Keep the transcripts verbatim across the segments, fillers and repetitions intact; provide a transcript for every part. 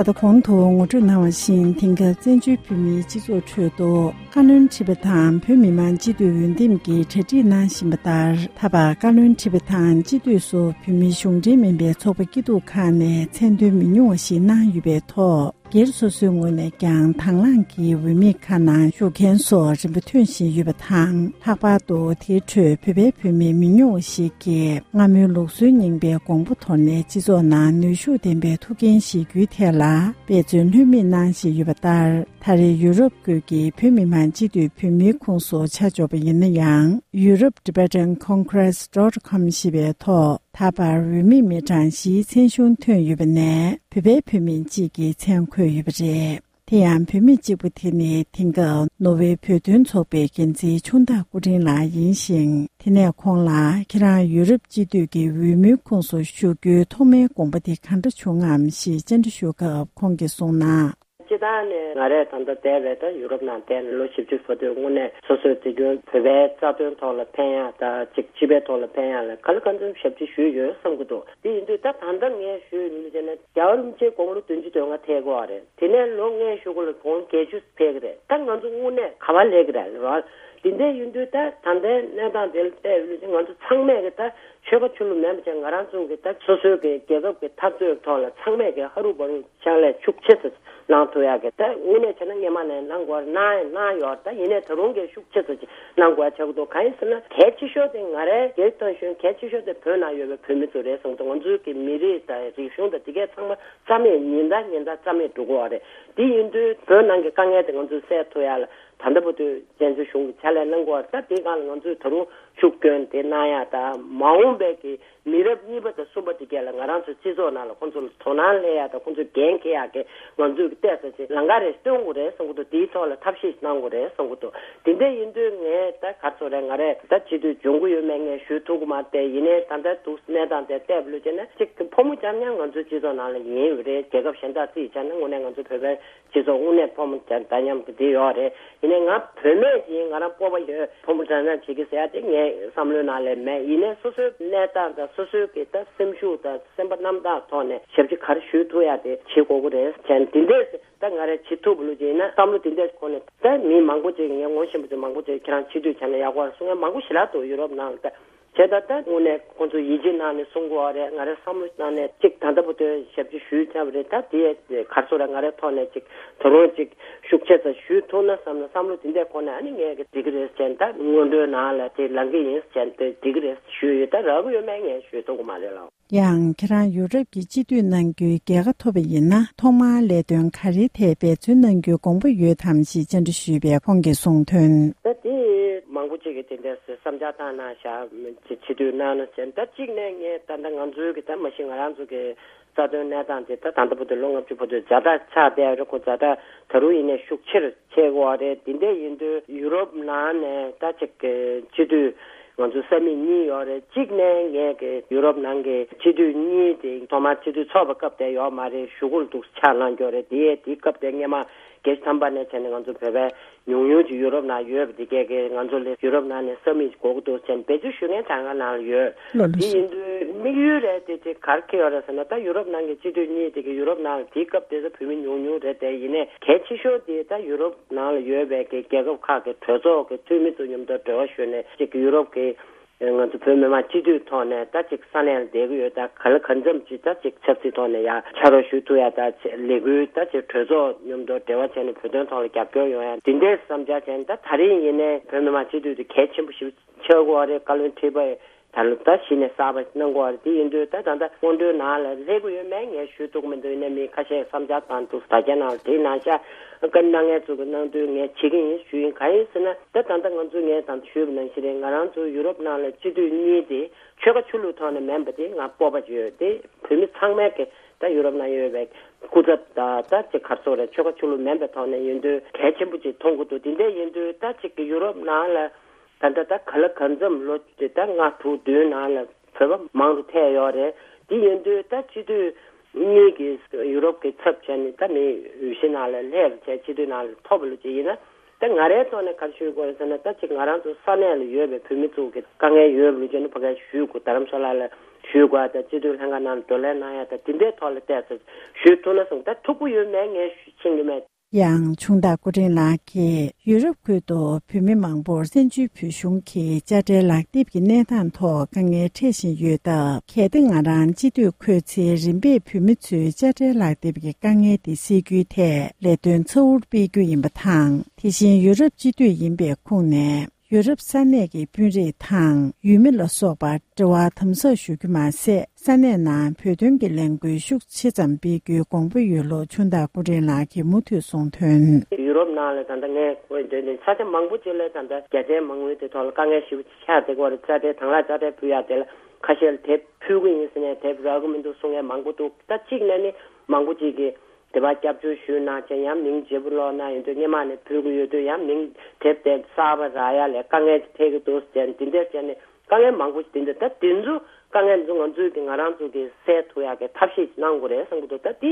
ད་ལྟ་གོང་དུ་ངོ་སྤྲོད་གནང་བ་བཞིན། དེང་སྐབས་བཙན་བྱོལ་བོད་མིའི་སྤྱི་ཚོགས་ཁྲོད་དུ་བཀའ་བློན་ཁྲི་པ་དང་བོད་མི་མང་སྤྱི་འཐུས་འོས་འདེམས་ཀྱི་གྲ་སྒྲིག་གནང་བཞིན་པ་ལྟར། ད་བར་བཀའ་བློན་ཁྲི་པ་དང་སྤྱི་འཐུས་སུ་བོད་མིའི་གཞུང་འབྲེལ་མིན་པའི་ཚོགས་པ་སྐྱིད་སྡུག་ཁག་ནས་མཚན་འདོན་མི་ཉུང་བ་ཞིག་གནང་ཡོད་པའི་ཐོག་སྒེར་སོ་སོའི་ངོས་ནས་ཀྱང་དང་བླངས་ཀྱིས་འོས་མི་ཁག་ནང་ཞུགས་མཁན་སོགས་རིམ་པ་ཐོན་བཞིན་ཡོད་པ་དང་། ལྷག་པར་དུ་དེའི་ཁྲོད་བོད་པའི་བུད་མེད་མི་ཉུང་བ་ཞིག་གིས་སྔ་མོའི་ལུགས་སྲོལ་རྙིང་པའི་གོང་བུ་དོར་ནས་སྤྱི་ཚོགས་ནང་ནུས་ཤུགས་ལྡན་པའི་ཐུགས་འགན་བཞེས་རྒྱུའི་ཐད་ལ་འབད་བརྩོན་ལྷོད་མེད་གནང་བཞིན་ཡོད་པ་ལྟར། ད་རེས་ཡུ་རོབ་ཁུལ་གྱི་བོད་མི་མང་སྤྱི་འཐུས་བོད་མིའི་ཁོངས་སུ་ཆ་འཇོག་པ་ཡིན་ན་ཡང་། Europe Tibetan Congress dot com ཞེས་པའི་ཐོག་ད་བར་འོས་མི་མི་གྲངས་བཞིའི་མཚན་གཞུང་ཐོན་ཡོད་པ་ནས། བོད་པའི་བུད་མེད་གཅིག་གི་མཚན་འཁོད་ཡོད་པ་རེད། དེ་ཡང་བུད་མེད་གཅིག་པུ་དེ་ནི་དེང་སྐབས་ནོར་ཝེ་བོད་དོན་ཚོགས་པའི་འགན་འཛིན་ཆུང་བདག་སྐུ་ཕྲེང་ལགས་ཡིན་ཞིང་། དེ་ནས་ཁོང་ལ་ཁྱེད་རང་ཡུ་རོབ་སྤྱི་འཐུས་ཀྱི་འོས་མིའི་ཁོངས་སུ་ཞུགས་རྒྱུའི་ཐོག་མའི་དགོངས་པ་དེ་གང་འདྲ་བྱུང་ངམ་ཞེས་བཅར་འདྲི་ཞུ་སྐབས་ཁོང་གིས་གསུངས་ན། སྤྱིར་བཏང་ནས་ང་རས་ད་ལྟ་བསྡད་པའི་ད་ཡུ་རོབ་ནང་བསྡད་ནས་ལོ་བཞི་བཅུ་ཕྲག་དོན་དངོས་གནས་སོ་སོའི་དེ་རྒྱུན་བོད་པའི་རྩ་དོན་ཐོག་ལ་ཕན་ཡག་དང་གཅིག་སྤྱི་པའི་ཐོག་ལ་ཕན་ཡག་ལ་ག་ལེ་ག་ཚོད་ཞབས་ཕྱི་ཞུས་ཡོད་བསམ་གྱི་འདུག་དེ་ཡིན་དུས་ད་ད་ལྟ་ངས་ཞུས་ཡོད་ནི་ཟེར་ན། རྒྱལ་བ་རིན་པོ་ཆེ་དགུང་ལོ་བདུན་ཅུ་དོན་ལྔ་ཐེག་གོ་རེད། དེ་ནས་ལོ་ལྔའི་གཞུག་གུ་ལ་དགུང་བརྒྱད་ཅུ་ཕེབས་ཀྱི་རེད། ད་ང་ཚོ་དངོས་གནས་ག་པར་སླེབས་ཀྱི་རེད་རོ། དེ་འདྲ་ཡིན་དུས་ད་ད་ལྟའི་གནས་སྟངས་དེ་ལ་བལྟས་ཡོད་ན་ང་ཚོ་ཚང་མས་ཀྱི་ད་ཆོལ་ཁ་ཆོས་ལུགས་མེད་པ་བྱས་ང་རང་ཚོ་གི་ད་སོ་སོའི་གི་རྒྱལ་ཁབ་ཀྱི་འཐབ་རྩོད་ཐོག་ལ་ཚང་མས་ཀྱི་ཧ་རུ་བ་རུ་ཕྱག་ལས་ཤུགས་ཆེ་ཙམ་གནང་ཐུབ་ཡག་གི་ད་དངོས་གནས་བྱས་ན་སྔོན་མ་ནས་གནང་དགོས་གནང་ཡང་གནང་ཡོད། ད་ཡིན་ནའི་ད་རུང་གི་ཤུགས་ཆེ་ཙམ་ཅིག་གནང་དགོས་ཆགས་ཀྱི་འདུག་གང་ཡིན་ཟེར་ན་གལ་ཆེ་ཤོས་དེ་ང་རའི་སྒེར་ཐོན་ཤོས་གལ་ཆེ་ཤོས་དེ་བོད་ནང་ཡོད་པའི་བོད་མི་ཚོ་རེད་གསུངས་འདུག་ང་ཚོའི་གི་མི་རིགས་དང་རིག་གཞུང་དང་དེ་གའི་ཚང་མ་རྩ་མེད་ཉིན་ལྟར་ཉིན་ལྟར་རྩ་མེད་འགྲོ་གི་ཡོད་རེད། དེ་ཡིན་དུས་བོད་ནང་གི་དཀའ་ངལ་དེ་ང་ཚོས་སེལ་ཐུབ་ཡག་ལ་ད་ལྟ་བར་དུ་བཙན་བྱོལ་གཞུང་གིས་ཕྱག་ལས་གནང་གི་ཡོད་རེད། ད་དེའི་སྒང་ལ་ང་ཚོས་ད་རུང་ཤུགས་སྐྱོན་དེ་གནང་ཡག་དང་མ་འོངས་པའི་གི་མི་རབས་གཉིས་པ་དང་གསུམ་པ་དེ་གས་ལ་ང་རང་ཚོ་སྤྱི་ཚོགས་ནང་ལ་ཁོང་ཚོ་ལ་དོ་སྣང་སླེབས་ཡག་དང་ཁོང་ཚོ་འགན་འཁྱེར་ཡག་གི་ང་ཚོས་གི་ལྟས་ས་ཆེ་ལམ་ཁ་རེ་སྟོན་དགོས་རེད་བསམ་གི་འདུག་དེའི་ཐོག་ལ་ཐབས་ཤེས་གནང་དགོས་རེད་བསམ་གི་འདུག་དེ་འདྲ་ཡིན་དུས་ངས་ད་ག་ཚོད་རེད་ང་རས་ད་སྤྱི་འཐུས་འབྱུང་གི་ཡོད་མེད་ངས་ཞུ་ཐུབ་གི་མ་རེད། ཡིན་ནའི་ད་ལྟ་འདུག་གནས་སྟངས་དེ་བལྟས་པ་ལོས་བྱས་ན་གཅིག་ཕོ་མོ་རྐྱང་རྐྱང་ང་ཚོའི་སྤྱི་ཚོགས་ནང་ལ་ཡིན་ཡོད་རེད། རྒྱལ་ཁབ་གཞན་དག་རྩིས་བྱས་ན་དངོས་གནས་ང་ཚོ་བོད་པའི་སྤྱི་ཚོགས་དངོས་གནས་ཕོ་མོ་རྐྱང་རྐྱང་དེ་ཡོད་རེད། ཡིན་ནའི་ང་བུད་མེད་ཡིན་ང་རང་སྤོབས་པ་ཡོད་ཕོ་མོ་རྐྱང་རྐྱང་བྱེད་ཀྱི་ཟེར་ཡ་དེ་ངའི་བསམ་བློའི་ནང་ལ་མེད། ཡིན་ནའི་སོ་སོའི་གནས་སྟངས་དང་སོ་སོའི་གི་ད་སེམས་ཤུགས་དང་སེམས་པ་རྣམ་དག་ཐོག་ནས་ཞབས་ཕྱི་ག་རེ་ཞུ་ཐུབ་ཡ་དེ་བྱེད་དགོས་ཀྱི་རེད་བྱས་ནས་དེ་འདྲས་ད་ང་རས་བྱེད་ཐུབ་པ་ལོས་བྱས་ན་བསམ་བློ་དེ་འདྲས་ཁོ་ནས་ད་མི་མང་པོ་ཅིག་ངས་ངོ་ཤེས་པ་ཚོས་མང་པོ་ཅིག་ཁྱེད་རང་སྤྱི་འཐུས་བྱས་ན་ཡག་པོ་རེད་གསུང་མཁན་མང་པོ་ཞིག་ལབ་འདུག་ཡུ་རོབ་ནང་ལ་ད་བྱས་ད་ད་དངོས་གནས་ཁོང་ཚོ་ཡིད་ཆེས་གནང་ནས་གསུང་གི་ཡོད་རེད། ང་རས་བསམ་བློ་གནང་ནས་ཅིག་ད་ལྟ་བར་དུ་ཞབས་ཕྱི་ཞུས་ཚར་བ་རེད། ད་དེ་གར་སོ་ར་ང་རའི་ཐོག་ནས་ཅིག་ད་རུང་ཅིག་ཤུགས་ཆེ་ཙམ་ཞུས་ཐུབ་ན་བསམ་ན་བསམ་བློ་དེ་འདྲས་ཁོ་ནས་ཨ་ནི་ངས་ཀྱི་འགྲིག་གི་རེད་ཟེར་ད་སྔོན་འགྲོའི་ནང་ལ་དེ་ལང་གི་ཡིན་ཟེར་ད་འགྲིག་གི་རེད་ཞུས་ཡོད། ད་རག་གི་ཡོད་མེད་ངས་ཞུས་ཐུབ་ཀྱི་མ་རེད་ལགས། ཡང་ཁྱེད་རང་ཡུ་རོབ་ཀྱི་སྤྱི་འཐུས་གནང་རྒྱུའི་རྒྱལ་ཁ་ཐོབ་པ་ཡིན་ན་ཐོག་མར་ལས་དོན་ག་རེའི་ཐད་འབད་བརྩོན་གནང་རྒྱུའི་དགོངས་པ་ཡོད་དམ་ཞེས་བཅར་འདྲི་ཞུས་པས་ཁོང་གིས་གསུངས་དོན། ད་དེ་མང་པོ་ཅིག་གིས་དེ་འདྲ་བསམ་འཆར་བཏང་གནང་བཞག་སྤྱི་འཐུས་གནང་ན་ཟེར་ད་གཅིག་ནས་ངས་ད་ལྟ་ང་ཚོའི་གི་ད་མ་གཞི་ང་རང་ཚོ་གི་རྩ་དོན་གནས་སྟངས་དེ་ད་ད་ལྟ་བར་དུ་ལོ་ལྔ་བཅུ་བར་དུ་ཛ་དྲག་ཆགས་བསྡད་རེད། ཁོ་ཛ་དྲག་ད་རུང་ཡིན་ནའི་ཤུགས་ཆེར་ཆེ་གོ་རེད། དེ་འདྲ་ཡིན་དུས་ཡུ་རོབ་ནང་ནས་ད་ཅིག་གི་སྤྱི་འཐུས་ང་ཚོ་ས་མིག་གཉིས་ཡོད་རེད། གཅིག་ནས་ངས་གི་ཡུ་རོབ་ནང་གི་སྤྱི་འཐུས་གཉིས་དེ་ཐོག་མར་སྤྱི་འཐུས་ཚོགས་པ་སྐབས་དེ་ཡོད་མ་རེད། གཞུག་གུ་ལ་འདུག་ཆགས་གནང་རྒྱུ་རེད། དེ་དེ་སྐབས་དེ་སྔོན་མ་བརྒྱད་ཅུ་ཐམ་པ་ནས་བྱས་ནས་ང་ཚོ་བོད་པའི་ཉུང་ཉུང་ཅིག་ཡུ་རོབ་ནང་ཡོད་པ་དེ་གས་གི་ང་ཚོ་ལ་ཡུ་རོབ་ནང་ནས་ས་མིག་དགོས་ཀྱི་འདུག་ཟེར་ནས་འབད་བརྩོན་ཞུ་མཁན་གྲངས་ཀ་ནང་ལ་ཡོད། ལགས་ལགས་དེ་སོ། ཡིན་དུས་དམིགས་ཡུལ་རེད་དེ་དེ་གར་ཁེལ་ཡོད་རེད་ཟེར་ན་ད་ཡུ་རོབ་ནང་གི་སྤྱི་འཐུས་གཉིས་དེ་གི་ཡུ་རོབ་ནང་ལ་དེའི་སྐབས་དེ་ཚོ་བོད་མི་ཉུང་ཉུང་རེད་དེ། ཡིན་ནའི་གལ་ཆེ་ཤོས་དེ་ད་ཡུ་རོབ་ནང་ལ་ཡོད་པའི་གི་རྒྱལ་ཁབ་ཁག་གི་གྲོས་ཚོགས་ཀྱི་འཐུས་མི་ཚོ་མཉམ་དུ་འབྲེལ་བ་ཞུས་ནས་ཅིག་ཡུ་རོབ་ཀྱི་ང་ཚོ་བོད་མི་མང་སྤྱི་འཐུས་ཐོག་ནས་ད་ཅིག་ས་གནས་ལ་བསྡད་ཀྱི་ཡོད། ད་ག་ལ་གང་འཚམ་ཅིག་ད་ཅིག་ཆབ་སྲིད་ཐོག་ནས་ཡང་ཕྱག་རོགས་ཞུ་ཐུབ་ཡ་ད་ལས་འགུལ་ད་ཅིག་གྲོས་ཚོགས་མཉམ་དུ་འབྲེལ་བ་བྱས་ནས་བོད་དོན་ཐོག་ལ་རྒྱབ་སྐྱོར་ཡོང་ཡ་དེ་འདྲའི་བསམ་འཆར་བྱས་ནས་ད་ད་རིང་ཡིན་ནའི་བོད་མི་མང་སྤྱི་འཐུས་དེ་གལ་ཆེན་པོ་ཞིག་ཆགས་ཀྱི་ཡོད་རེད། བཀའ་བློན་ཁྲི་པ་ད་ལོ་ད་གཞི་ནས་གསར་པ་གནང་དགོས་པ་རེད། དེ་ཡིན་དུས་ད་ད་ལྟ་སྔོན་འགྲོའི་ནང་ལ་སླེབས་ཀྱི་ཡོད་མེད་ངས་ཞུ་ཐུབ་ཀྱི་མི་འདུག་ཡིན་ནའི་མི་ཁ་ཤས་བསམ་འཆར་བཏང་འདུག་ད་ཆ་ནང་ལ་དེའི་ནང་བཞག་བཀའ་གནང་མཁན་ཚོ་གི་གནང་དུས་ངས་བྱེད་ཀྱི་ཡིན་ཞུ་ཡིན། གང་ཡིན་ཟེར་ན་ད་ད་ལྟ་ང་ཚོ་ངས་ད་ལྟ་ཞུས་པ་ནང་བཞིན་རེད། ང་རང་ཚོ་ཡུ་རོབ་ནང་ལ་སྤྱི་འཐུས་གཉིས་དེ་ཆོལ་ཁ་ཆོས་ལུགས་ཐོག་ནས་མིན་པ་དེ་ང་སྤོབས་པ་ཡོད་དེ། བོད་མི་ཚང་མས་ཀྱི་ད་ཡུ་རོབ་ནང་ཡོད་པའི་སྐུ་ཚབ་དང་ད་ཅིག་གར་སོགས་རེད་ཆོལ་ཁ་ཆོས་ལུགས་མིན་པའི་ཐོག་ནས་ཡིན་དུས་གལ་ཆེན་པོ་ཅིག་མཐོང་གི་འདུག་དེ་འདྲ་ཡིན་དུས་ད་ཅིག་གི་ཡུ་རོབ་ནང་ལ། ད་ལྟ་ད་ག་ལ་གང་འཚམ་ལོ་དེ་ད་ལྔ་དྲུག་བདུན་ནང་ལ་བོད་པ་མང་རུ་ཐལ་ཡོད་རེད། དེ་ཡིན་དུས་ད་སྤྱི་འཐུས་གཉིས་ཀྱིས་ཡུ་རོབ་ཀྱི་ཚབ་བྱས་ནས་ད་མི་འོས་གཞི་ནང་ལ་སླེབས་བྱས་སྤྱི་འཐུས་ནང་ལ་ཐོབ་པ་ལོ་ཅིག་ཡིན་ན་ ད་ང་རའི་ཐོག་ནས་ག་རེ་ཞུ་དགོས་རེད་ཟེར་ན། ད་ཅིག་ང་རང་ཚོ་ས་གནས་ལ་ཡོད་པའི་བོད་མི་ཚོ་གི་དཀའ་ངལ་ཡོད་པ་ལ་བརྟེན་ནས་ཕ་གིར་ཞུ་དགོས། རྡ་རམ་ས་ལ་ལ་ཞུ་དགོས་ཡ་དང་། སྤྱི་འཐུས་ལྷན་ཁང་ནང་བགྲོ་གླེང་གནང་ཡ་དང་། དེ་འདྲའི་ཐོག་ལ་བལྟས་ཚེ་ཞུ་ཐུབ་ན་བསམ། ད་ཐུགས་ཁུར་ཡོད་མེད་ངས་ཤེས་ཀྱི་མེད། ཡང་ཆུང་བདག་སྐུ་ཕྲེང་ལགས་ཀྱིས་ཡུ་རོབ་ཁུལ་དུ་བོད་མི་མང་པོར་བཙན་བྱོལ་བོད་གཞུང་གི་དཔྱ་ཁྲལ་ལག་དེབ་ཀྱི་གནས་སྟངས་ཐོག་དཀའ་ངལ་འཕྲད་བཞིན་ཡོད་སྟབས། གལ་ཏེ་ང་རང་སྤྱི་འཐུས་འཁོད་ཚེ་རིམ་པས་བོད་མི་ཚོའི་དཔྱ་ཁྲལ་ལག་དེབ་ཀྱི་དཀའ་ངལ་དེ་སེལ་རྒྱུའི་ཐད་ལས་དོན་ཚ་བོར་སྤེལ་རྒྱུ་ཡིན་པ་དང་། དེ་བཞིན་ཡུ་རོབ་སྤྱི་འཐུས་ཡིན་པའི་ཁོངས་ནས། ཡུ་རོབ་ས་གནས་ཀྱི་དཔོན་རིགས་དང་ཡུལ་མི་ལ་སོགས་པར་འབྲེལ་བ་དམ་ཟབ་ཞུ་རྒྱུ་མ་ཟད། ས་གནས་ནང་བོད་དོན་གྱི་ལས་འགུལ་ཤུགས་ཆེ་ཙམ་སྤེལ་རྒྱུའི་དགོངས་པ་ཡོད་ལུགས་ཆུང་བདག་སྐུ་ཕྲེང་ལགས་ཀྱིས་མུ་མཐུད་གསུངས་དོན། ཡུ་རོབ་ནང་ལ་ད་ལྟ་ངས་གོ་ཡི་འདོད་འདུན། ས་ཆ་མང་པོ་ཅིག་ལ་ད་ལྟ་རྒྱ་ཆེའི་མ་དངུལ་དེ་ཐོག་ལ་དཀའ་ངལ་ཞེ་པོ་ཅིག་ཆགས་བསྡད་ཀྱི་ཡོད་རེད། དཔྱ་ཁྲལ་དང་བླངས་དཔྱ་ཁྲལ་ཕུལ་ཡ་དེ་ལ་ཁ་ཤས་ལ་དེབ་ཕུལ་གྱི་ཡིན་ཟེར་ནས་དེབ་རག་གི་མི་འདུག་གསུང་མཁན་མང་པོ་འདུག་ད་གཅིག་ནས་ནི་མང་པོ་ཅིག་གིས། དེ་བ་སྐྱབས་བཅོལ་ཞུས་གནང་བྱས་ཡང་མིང་བརྗེ་པོ་ལོག་ན་ཡོད་དུས། སྔོན་མ་ནས་ཕུལ་གྱི་ཡོད་དུས་ཡང་མིང་དེབ་དེ་གསར་པ་རག་ཡ་ལས་དཀའ་ངལ་ཅིག་འཕྲད་ཀྱི་འདུག་ཟེར་ནས། འདི་འདྲ་བྱས་ནས་དཀའ་ངལ་མང་པོ་ཞིག་འདི་འདྲ། ད་དེ་ཚོ་དཀའ་ངལ་འདི་ཚོ་ང་ཚོས་ཀྱི་ང་རང་ཚོ་གི་སེལ་ཐུབ་ཡ་གི་ཐབས་ཤེས་ཅིག་གནང་དགོས་རེད་བསམ་གྱི་འདུག་ད་འདི་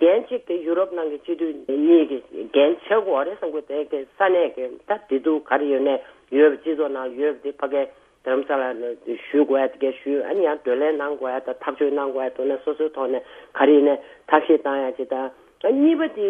འགན་གཅིག་གི་ཡུ་རོབ་ནང་གི་སྤྱི་འཐུས་གཉིས་ཀྱི་འགན་ཆགས་དགོས་རེད་བསམ་གྱི་འདུག་དེ་གི་ས་གནས་ཀྱི་ད་བདེ་སྡུག་ག་རེ་ཡོད་ནས་ཡོད་པ། སྤྱི་ཚོགས་ནང་ཡོད་པ་དེ་ཕ་གིའི་རྡ་རམ་ས་ལ་ནས་ཞུ་དགོས་ཡ་དེ་གས་ཞུ། ཨ་ནི་ཡང་བགྲོ་གླེང་གནང་དགོས་ཡ་དང་ཐག་གཅོད་གནང་དགོས་ཡ་དེ་ནས་སོ་སོའི་ཐོག་ནས་ག་རེ་ཡིན་ནའི་ཐབས་ཤེས་བཏང་ཡ་ཅིག་དང་། ཨ་གཉིས་པ་དེ་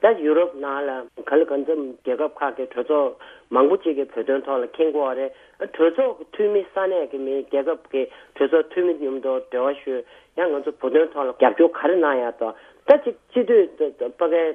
ད་ཡུ་རོབ་ནང་ལ་ག་ལ་གང་འཚམ་རྒྱལ་ཁབ་ཁག་གི་གྲོས་ཚོགས་མང་པོ་ཅིག་གིས་བོད་དོན་ཐོག་ལ་མཁྱེན་དགོས་པ་རེད། གྲོས་ཚོགས་ཀྱི་འཐུས་མི་ས་གནས་ཀྱི་མི་རྒྱལ་ཁབ་ཀྱི་གྲོས་ཚོགས་འཐུས་མི་མཉམ་དུ་འབྲེལ་བ་ཞུས། ཡང་ང་ཚོ་བོད་དོན་ཐོག་ལ་རྒྱབ་སྐྱོར་ག་རེ་གནང་ཡ་དང་། ད་ཅིག་སྤྱི་འཐུས་ཕ་གིའི་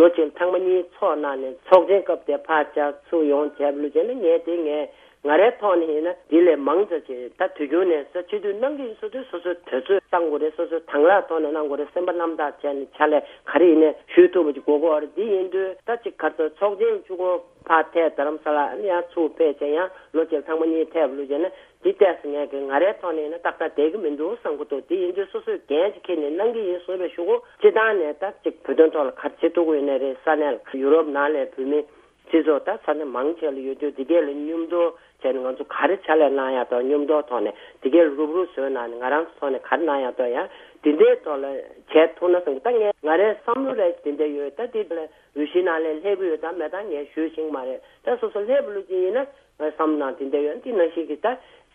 ལོ་གཅིག་ལ་ཐེངས་མ་གཉིས་ཚོགས་གནང་ནས་ཚོགས་ཆེན་སྐབས་དེ་ཕར་བཅར་ཚུར་ཡོང་བྱས་པ་ལོ་བྱས་ན། ངས་དེ་ངས་ང་རའི་ཐོག་ནས་ཡིན་ན་དེ་ལས་མང་ཙམ་ཅིག་ད་དུས་རྒྱུན་ནས་ས་སྤྱི་འཐུས་གནང་གི་ཡིན་ཟེར་དུས་སོ་སོའི་དུས་ཚོད་གཏང་དགོས་རེད། སོ་སོའི་དང་བླངས་ཐོག་ནས་གནང་དགོས་རེད། སེམས་པ་རྣམ་དག་བྱས་ནས་ཕྱག་ལས་ག་རེ་ཡིན་ནའི་ཞུ་ཐུབ་པ་ཅིག་དགོས་ཀྱི་ཡོད་རེད། དེ་ཡིན་དུས་ད་ཅིག་ག་ཚོད་ཚོགས་ཆེན་བཅུ་དགུ་ཕར་ཐད་རྡ་རམ་ས་ལ་ཡང་ཚུར་ཕེབས་བྱས་ཡང་ལོ་གཅིག་ལ་ཐེངས་མ་གཉིས་ཐད་པ་ལོ་བྱས་ན། འདི་ལྟས་སུ་ངས་ཀྱི་ང་རའི་ཐོག་ནས་ཡིན་ན་ཏག་ཏག་བསྡད་ཀྱི་མི་འདུག་བསམ་གྱི་འདུག་དེ་ཡིན་དུས་སོ་སོས་འགན་ཅིག་འཁྱེར་ནས་གནང་གི་ཡིན་བཟོས་པའི་གཞུག་གུ་སྤྱི་བཏང་ནས་ད་ཅིག་བོད་དོན་ཐོག་ལ་ག་རེ་བྱེད་ཐུབ་ཀྱི་ཡོད་ནའི་རེད། ས་གནས་ལ་ཡུ་རོབ་ནང་ལ་བོད་མི་སྤྱི་ཚོགས་ད་ས་གནས་མང་ཆེ་ལ་ཡོད་དུས་འདི་གས་ལ་མཉམ་དུ་བྱས་ནས་ང་ཚོ་ག་རེ་ཕྱག་ལས་གནང་ཡ་དང་། མཉམ་དུ་ཐོག་ནས་འདི་གས་ལ་རུབ་རུབ་བཟོས་གནང་ནས་ང་རང་ཚོ་ཐོག་ནས་ག་རེ་གནང་ཡ་དང་། ཡང་འདི་འདྲའི་ཐོག་ལ་བྱས་ཐུབ་ན་བསམ་གྱི། ད་ངས་ང་རའི་བསམ་བློ་རེ་འདི་འདྲ་ཡོད། ད་འདི་ལ་འོས་གཞི་ནང་ལ་སླེབས་ཀྱི་ཡོད་དང་མེད་དང་ངས་ཞུ་ཤེས་ཀྱི་མ་རེད། ད་སོ་སོ་སླེབས་པ་ལོ་གཅིག་ཡིན་ན། བསམ་ནང་དེ་འདྲ་ཡོད། དེ་ནང་བཞིན་གྱི་ད་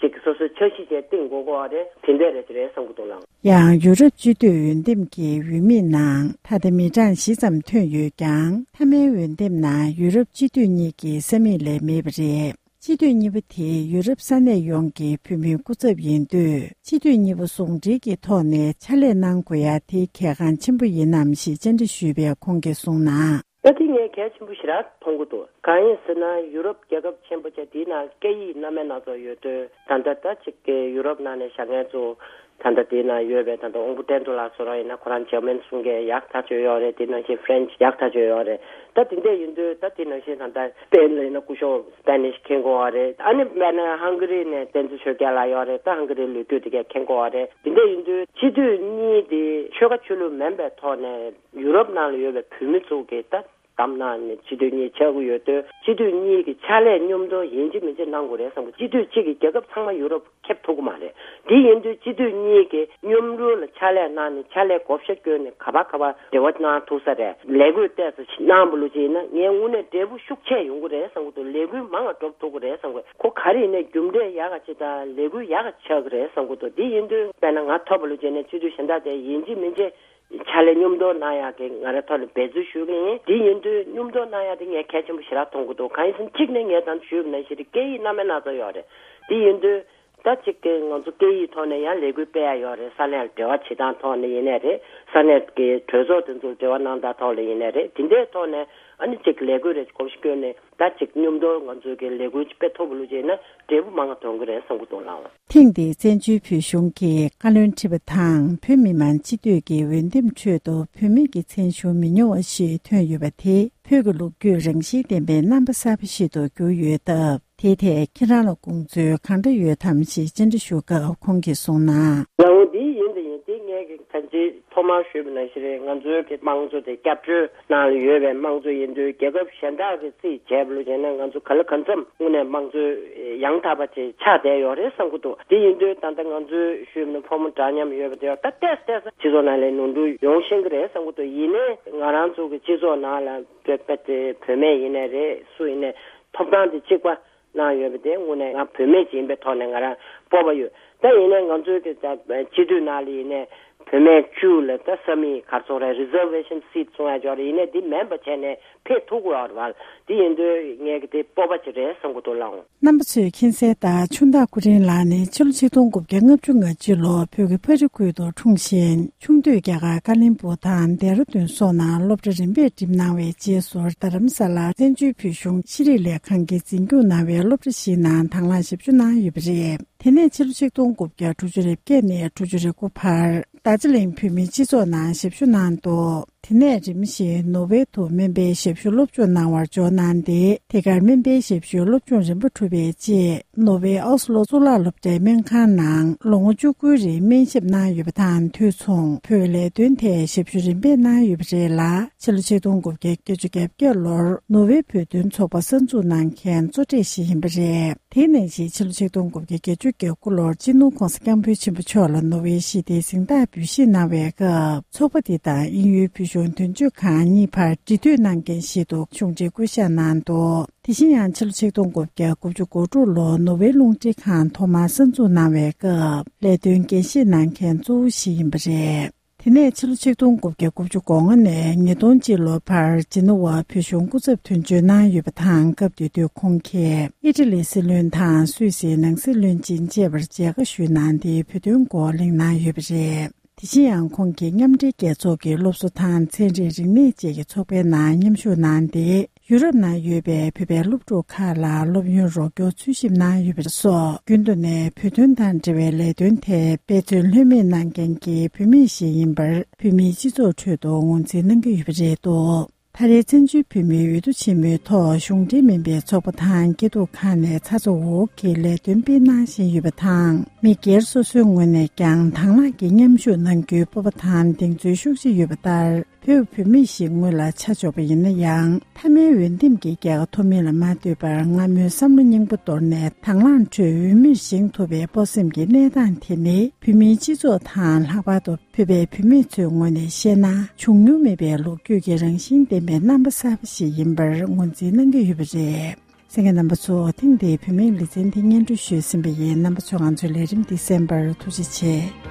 ཅིག་སོ་སོའི་འཆར་གཞི་བྱས་བཏིང་དགོས་ཀྱི་རེད། དེ་འདྲ་རེད་ཅེས་རེད་བསམ་གྱི་འདུག་ལགས། ཡང་ཡུ་རོབ་སྤྱི་འཐུས་འོས་འདེམས་ཀྱི་འོས་མིའི་ནང་ད་ལྟ་མི་གྲངས་བཞི་ཙམ་ཐོན་ཡོད་ཀྱང་། མཐའ་མའི་འོས་འདེམས་ནང་ཡུ་རོབ་སྤྱི་འཐུས་གཉིས་ཀྱི་ས་མིག་ལས་མེད་པ་རེད། སྤྱི་འཐུས་གཉིས་པ་དེ་ཡུ་རོབ་ས་གནས་ཡོངས་ཀྱི་བོད་མིའི་སྐུ་ཚབ་ཡིན་དུས། སྤྱི་འཐུས་གཉིས་པོ་ཟུང་འབྲེལ་གྱི་ཐོག་ནས་ཕྱག་ལས་གནང་དགོས་ཡ་དེ་གལ་འགངས་ཆེན་པོ་ཡིན་ནམ་ཞེས་བཅར་འདྲི་ཞུས་པས་ཁོང་གིས་གསུངས་ན། ད་དེ་ངས་གལ་ཆེན་པོ་ཞེ་དྲག་མཐོང་གི་འདུག་གང་ཡིན་ཟེར་ན་ཡུ་རོབ་རྒྱལ་ཁབ་ཆེན་པོ་བྱས་དེའི་ནང་སྐད་ཡིག་སྣ་མིན་སྣ་ཚོགས་ཡོད་དུས། ད་ལྟ་ད་ཅིག་གི་ཡུ་རོབ་ནང་ནས་བཞག་མཁན་ཚོ་ད་ལྟ་དེའི་ནང་ཡོད་པའི་ད་ལྟ་དབང་པོ་བསྟན་རྡོར་ལགས་ཚོ་རང་ཡིན་ན་ཁོ་རང་ཇར་མན་གསུང་མཁན་ཡག་ཐག་ཆོད་ཡོད་རེད། དེ་ནང་བཞིན་ཧྥ་རན་ཆི་ཡག་ཐག་ཆོད་ཡོད་རེད། ད་དེ་འདྲ་ཡིན་དུས་ད་དེ་ནང་བཞིན་ད་ལྟ་སྤེན་ལ་ཡིན་ན་སྐུ་ཞབས་སྤེ་ནིཤ་མཁྱེན་གྱི་ཡོད་རེད། ཨ་ནི་དཔེར་ན་ཧང་ག་རི་ནས་བསྟན་འཛིན་ཆོས་རྒྱལ་ལགས་ཡོད་རེད། ད་ཧང་ག་རིའི་ལོ་རྒྱུས་དེ་གས་མཁྱེན་གྱི་ཡོད་རེད། དེ་འདྲ་ཡིན་དུས་སྤྱི་འཐུས་གཉིས་དེ་ཆོལ་ཁ་ཆོས་ལུགས་མིན་པའི་ཐོག་ནས་ཡུ་རོབ་ནང་ལ་ཡོད་པའི་བོད་མི་ཚོ་གིས་ད་གདམ་གནང་ནས་སྤྱི་འཐུས་གཉིས་ཆགས་ཀྱི་ཡོད་དུས། སྤྱི་འཐུས་གཉིས་ཀྱི་ཕྱག་ལས་མཉམ་དུ་ཡིན་གཅིག་མིན་གཅིག་གནང་དགོས་རེད་བསམ་གྱི། སྤྱི་འཐུས་གཅིག་གིས་རྒྱལ་ཁབ་ཚང་མ་ཡུ་རོབ་ཁེབས་ཐུབ་ཀྱི་མ་རེད། དེ་ཡིན་དུས་སྤྱི་འཐུས་གཉིས་ཀྱིས་མཉམ་རུབ་ལ་ཕྱག་ལས་གནང་ནས་ཕྱག་ལས་བགོ་བཤའ་བསྐྱོན་ནས་ག་པར་ག་པར་འབྲེལ་བ་གནང་ཐུབ་ས་རེད། ལས་འགུལ་ཏོག་ཙམ་ཞིག་གནང་བ་ལོ་ཅིག་ཡིན་ན་ངས་དངོས་གནས་འབྲས་བུ་ཤུགས་ཆེ་ཡོང་གི་རེད་བསམ་གྱི་འདུག་ལས་འགུལ་མང་བ་འགྲོ་ཐུབ་ཀྱི་རེད་བསམ་གྱི། ཁོ་ག་རེ་ཡིན་ནའི་རྒྱུ་འབྲས་ཡག་ག་ཅིག་དང་ལས་འགུལ་ཡག་ག་ཆགས་ཀྱི་རེད་བསམ་གྱི་འདུག་དེ་ཡིན་དུས་དཔེར་ན་ང་ཐོབ་པ་ལོ་ཅིག་ཡིན་ན་སྤྱི་འཐུས་གཞན་དག་དེ་ཡིན་གཅིག་མིན་གཅིག་ཕྱག་ལས་མཉམ་དུ་གནང་ཡག་གི་ང་རའི་ཐོག་ནས་འབད་རྩོལ་ཞུ་གི་ཡིན། དེ་ཡིན་དུས་མཉམ་དུ་གནང་ཡག་དེ་ངས་གལ་ཆེན་པོ་ཞེ་དྲག་མཐོང་གི་འདུག་གང་ཡིན་ཟེར་ན་གཅིག་ནས་ངས་ད་ཞུས་པ་ནང་བཞིན་རེད། སྐད་ཡིག་སྣ་མིན་སྣ་ཚོགས་ཡོད་རེད། དེ་ཡིན་དུས་ད་གཅིག་གི་ང་ཚོ་སྐད་ཡིག་ཐོག་ནས་ཡང་ལས་འགུལ་སྤེལ་ཡག་ཡོད་རེད། ས་གནས་ལ་འབྲེལ་བ་བྱེད་སྟངས་ཐོག་ནས་ཡིན་ནའི་རེད། ས་གནས་ཀྱི་གྲོས་ཚོགས་དེ་ཚོར་འབྲེལ་བ་གནང་སྟངས་ཐོག་ལ་ཡིན་ནའི་རེད། དེ་འདྲའི་ཐོག་ནས་ཨ་ནི་གཅིག་ལས་འགུལ་རེ་གོམས་གཤིས་བསྐྱོན་ནས་ད་གཅིག་མཉམ་དུ་ང་ཚོ་གི་ལས་འགུལ་སྤེལ་ཐུབ་པ་ལོ་ཅིག་ཡིན་ན་འབྲས་བུ་མང་བ་ཐོན་གི་རེད་བསམ་གི་འདུག་ལགས། ཐེངས་འདིའི་བཙན་བྱོལ་བོད་གཞུང་གི་བཀའ་བློན་ཁྲི་པ་དང་བོད་མི་མང་སྤྱི་འཐུས་ཀྱི་འོས་འདེམས་ཁྲོད་དུ་བོད་མི་གི་མཚན་གཞུང་མི་ཉུང་བ་ཞིག་ཐོན་ཡོད་པ་དེ་བོད་ཀྱི་ལོ་རྒྱུས་རང་བཞིན་ལྡན་པའི་རྣམ་པ་གསར་པ་ཞིག་ཏུ་གྱུར་ཡོད་སྟབས། དེའི་ཐད་ཁྱེད་རང་ལ་དགོངས་ཚུལ་གང་འདྲ་ཡོད་དམ་ཞེས་བཅར་འདྲི་ཞུ་སྐབས་ཁོང་གིས་གསུངས་ན། ལགས་འོང་། འདི་ཡིན་དང་ཡིན་དེ་ངས་ཀྱི་གང་ཅིའི་ཐོག་ཐོག་མར་ཞུས་པ་ནང་བཞིན་རེད། ང་ཚོའི་གི་དམངས་གཙོ་དེ་སྐྱབས་བཅོལ་ནང་ལ་ཡོད་པའི་དམངས་གཙོ་ཡིན་དུས། རྒྱལ་ཁབ་གཞན་དག་གི་རྩིས་བྱས་པ་ལ་བྱས་ན། ང་ཚོ་ག་ལ་གང་འཚམ་དངོས་གནས་དམངས་གཙོ་ཡང་དག་པ་ཅིག་ཆགས་བསྡད་ཡོད་རེད་བསམ་གྱི་འདུག་དེ་ཡིན་དུས་ད་ལྟ་ང་ཚོའི་ཞུས་པ་ནང་ཕོ་མོ་འདྲ་མཉམ་ཡོད་པ་དེ་ཡང་ད་ཏོག་ཙམ་ཏོག་ཙམ་སྤྱི་ཚོགས་ནང་ལ་ནོར་འཁྲུལ་ཡོང་ཤེས་ཀྱི་རེད་བསམ་གྱི་འདུག་ཡིན་ནའི་ང་རང་ཚོ་གི་སྤྱི་ཚོགས་ནང་ལ་བོད་པ་དེ་བུད་མེད་ཡིན་ནའི་རེད། སུ་ཡིན་ནའི་ཐོབ་ཐང་དེ་གཅིག་པ་གནང་ཡོད་པ་དེ་དངོས་གནས་ང་བུད་མེད་ཅིག་ཡིན་པའི་ཐོག་ནས་ང་རང་སྤོབས་པ་ཡོད། ད་ཡིན་ནའི་ང་ཚོའི་གི་ད་སྤྱི་འཐུས་ནང་ལ་ཡིན་ནའི་བུད་མེད་བཅུ་ལ་ད་ས་མིག་ག་རེ་ཟེར་དགོས་རེད། རི་ཛར་ཝེ་ཤན་སིཊ་གསུང་ཡ་ཅིག་ཡོད་རེད། ཡིན་ནའི་འདི་མེད་པ་བྱས་ནས་ཕེབས་ཐུབ་ཀྱི་ཡོད་རེད་བ། དེ་ཡིན་དུས་ངས་གི་དེ་སྤོབས་པ་ཅིག་རེད་བསམ་གྱི་འདུག་ལགས། རྣམ་པ་ཚོས་མཁྱེན་གསལ་ལྟར། ཆུང་བདག་སྐུ་ཕྲེང་ལགས་ནི་ཕྱི་ལོ་ཆིག་སྟོང་དགུ་བརྒྱ་ལྔ་བཅུ་ང་གཅིག་ལོར་བོད་ཀྱི་ཕ་རི་ཁུལ་དུ་འཁྲུངས་ཤིང་། ཆུང་དུས་རྒྱ་གར་ཀ་ལིམ་པུ་དང་ལྡེ་ར་ལྡུན་སོགས་ནང་སློབ་གྲྭ་རིམ་པས་འགྲིམས་གནང་བའི་རྗེས་སུ། རྡ་རམ་ས་ལ་བཙན་བྱོལ་བོད་གཞུང་ཤེས་རིག་ལས་ཁང་གིས་འཛིན་སྐྱོང་གནང་བའི་སློབ་གྲྭ་ཞིག་ནང་དང་བླངས་ཞབས་ཞུ་གནང་ཡོད་པ་རེད། དེ་ནས་ཕྱི་ལོ་ཆིག་སྟོང་དགུ་བརྒྱ་དྲུག་ཅུ་རེ་བརྒྱད་ནས་དྲུག་ཅུ་རེ་དགུ་བར་རྡ་རྗེ་གླིང་བོད་མིའི་སྤྱི་ཚོགས་ནང་ཞབས་ཞུ་གནང་འདུག་དེ་ནས་རིམ་བཞིན་ནོར་ཝེ་དུ་སྨན་པའི་ཞབས་ཞུ་སློབ་སྦྱོང་གནང་བར་འབྱོར་གནང་སྟེ། དེ་གར་སྨན་པའི་ཞབས་ཞུའི་སློབ་སྦྱོང་རིམ་པ་གྲུབ་པའི་རྗེས། ནོར་ཝེ་ཨོ་སི་ལོ་གཙུག་ལག་སློབ་གྲྭའི་སྨན་ཁང་ནང་ལོ་ངོ་བཅུ་དགུའི་རིང་སྨན་ཞབས་གནང་ཡོད་པ་དང་། དུས་མཚུངས་བོད་ལས་དོན་ཐད་ཞབས་ཞུ་རིམ་པས་གནང་ཡོད་པ་རེད་ལ། ཕྱི་ལོ་ཆིག་སྟོང་དགུ་བརྒྱ་བརྒྱད་ཅུ་གྱ་བརྒྱད་ལོར་ནོར་ཝེ་བོད་དོན་ཚོགས་པ་གསར་འཛུགས་གནང་མཁན་གཙོ་གྲས་ཤིག་ཡིན་པ་རེད། དེ་ནང་བཞིན་ཕྱི་ལོ་ཆིག་སྟོང་དགུ་བརྒྱ་བརྒྱད་ཅུ་གྱ་དགུ་ལོར་སྤྱི་ནོར་༸གོང་ས་༸སྐྱབས་མགོན་ཆེན་པོ་མཆོག་ལ་ནོར་ཝེ་ཞི་བདེའི་གཟེངས་རྟགས་འབུལ་བཞེས་གནང་བའི་སྐབས། ཚོགས་པ་འདི་དང་དབྱིན་ཡུལ་བོད་གཞུང་དོན་གཅོད་ཁང་གཉིས་བར་འབྲེལ་མཐུད་གནང་མཁན་ཞིག་ཏུ་གཞུང་འབྲེལ་བསྐོ་གཞག་གནང་འདུག་དེ་བཞིན་ཡང་ཕྱི་ལོ་ཆིག་སྟོང་དགུ་བརྒྱ་དགུ་བཅུ་གོ་དྲུག་ལོར་ནོར་ཝེ་རླུང་འཕྲིན་ཁང་ཐོག་མར་གསར་འཛུགས་གནང་བའི་སྐབས། ལས་དོན་འགན་བཞེས་གནང་མཁན་གཙོ་བོ་ཞིག་ཡིན་པ་རེད། དེ་ནས་ཕྱི་ལོ་ཆིག་སྟོང་དགུ་བརྒྱ་དགུ་བཅུ་གོ་ལྔ་ནས་ཉིས་སྟོང་གཅིག་ལོ་བར་ཇི་ནི་ཝར་བོད་གཞུང་སྐུ་ཚབ་དོན་གཅོད་གནང་ཡོད་པ་དང་། སྐབས་དེ་དུས་ཁོང་གིས་ཨི་ཊ་ལིའི་སྲིད་བློན་དང་སུད་སིའི་ནང་སྲིད་བློན་ཆེན་བཅས་པར་མཇལ་ཁ་ཞུས་གནང་སྟེ། བོད་དོན་སྐོར་གླེང་གནང་ཡོད་པ་རེད། དེ་བཞིན་ཡང་ཁོང་གིས་མཉམ་འབྲེལ་རྒྱལ་ཚོགས་ཀྱི་སློབ་གསོ་དང་ཚན་རིག་རིག་གནས་བཅས་ཀྱི་ཚོགས་པའི་ནང་མཉམ་ཞུགས་གནང་སྟེ། ཡུ་རོབ་ནང་ཡོད་པའི་བོད་པའི་སློབ་ཕྲུག་ཁག་ལ་སློབ་ཡོན་རོགས་སྐྱོར་འཚོལ་ཞིབ་གནང་ཡོད་པ་སོགས། རྒྱུན་དུ་ནས་བོད་དོན་དང་འབྲེལ་བའི་ལས་དོན་ཐད་འབད་བརྩོན་ལྷོད་མེད་གནང་མཁན་གྱི་བུད་མེད་ཞིག་ཡིན་པར་བོད་མིའི་སྤྱི་ཚོགས་ཁྲོད་དུ་ངོས་འཛིན་གནང་གི་ཡོད་པ་རེད་འདུག་ད་རེས་བཙན་བྱོལ་བོད་མིའི་འོས་བསྡུ་ཆེན་མོའི་ཐོག་གཞུང་འབྲེལ་མིན་པའི་ཚོགས་པ་དང་སྐྱིད་སྡུག་ཁག་ནས་ཚ་ཚ་འུར་འུར་གྱིས་ལས་དོན་སྤེལ་གནང་བཞིན་ཡོད་པ་དང་། མི་སྒེར་སོ་སོའི་ངོས་ནས་ཀྱང་དང་བླངས་ཀྱིས་མཉམ་ཞུགས་གནང་རྒྱུའི་སྤོབས་པ་དང་གདེང་ཚོད་ཤུགས་ཆེ་ཡོད་པ་ལྟར། བོད་བུད་མེད་ཞིག་ངོས་ལ་ཆ་འཇོག་པ་ཡིན་ན་ཡང་། མཐའ་མའི་འོས་འདེམས་ཀྱི་རྒྱལ་ཁ་ཐོབ་མིན་ལ་མ་ལྟོས་པར། སྔ་མོའི་བསམ་བློ་རྙིང་པ་དོར་ནས་དང་བླངས་ཁྲོད་འོས་མིར་བཞེངས་ཐུབ་པའི་སྤོབས་སེམས་ཀྱི་གནས་སྟངས་དེ་ནི། བོད་མིའི་སྤྱི་ཚོགས་དང་། ལྷག་པར་དུ་བོད་པའི་བུད་མེད་ཚོའི་ངོས་ནས་བཤད་ན། བྱུང་མྱོང་མེད་པའི་ལོ་རྒྱུས་ཀྱི་རང་བཞིན་ལྡན་པའི་རྣམ་པ་གསར་པ་ཞིག་ཡིན་པར་ངོས་འཛིན་གནང་གི་ཡོད་པ་རེད། གསན་མཁན་རྣམ་པ་ཚོ། ཐེངས་འདིའི་བུད་མེད་ལེ་ཚན་འདི་སྙན་སྒྲོན་ཞུས་ཟིན་པ་ཡིན། རྣམ་པ་ཚོས་ང་ཚོའི་ལས་རིམ་འདི་གསན་པར་ཐུགས་རྗེ་ཆེ།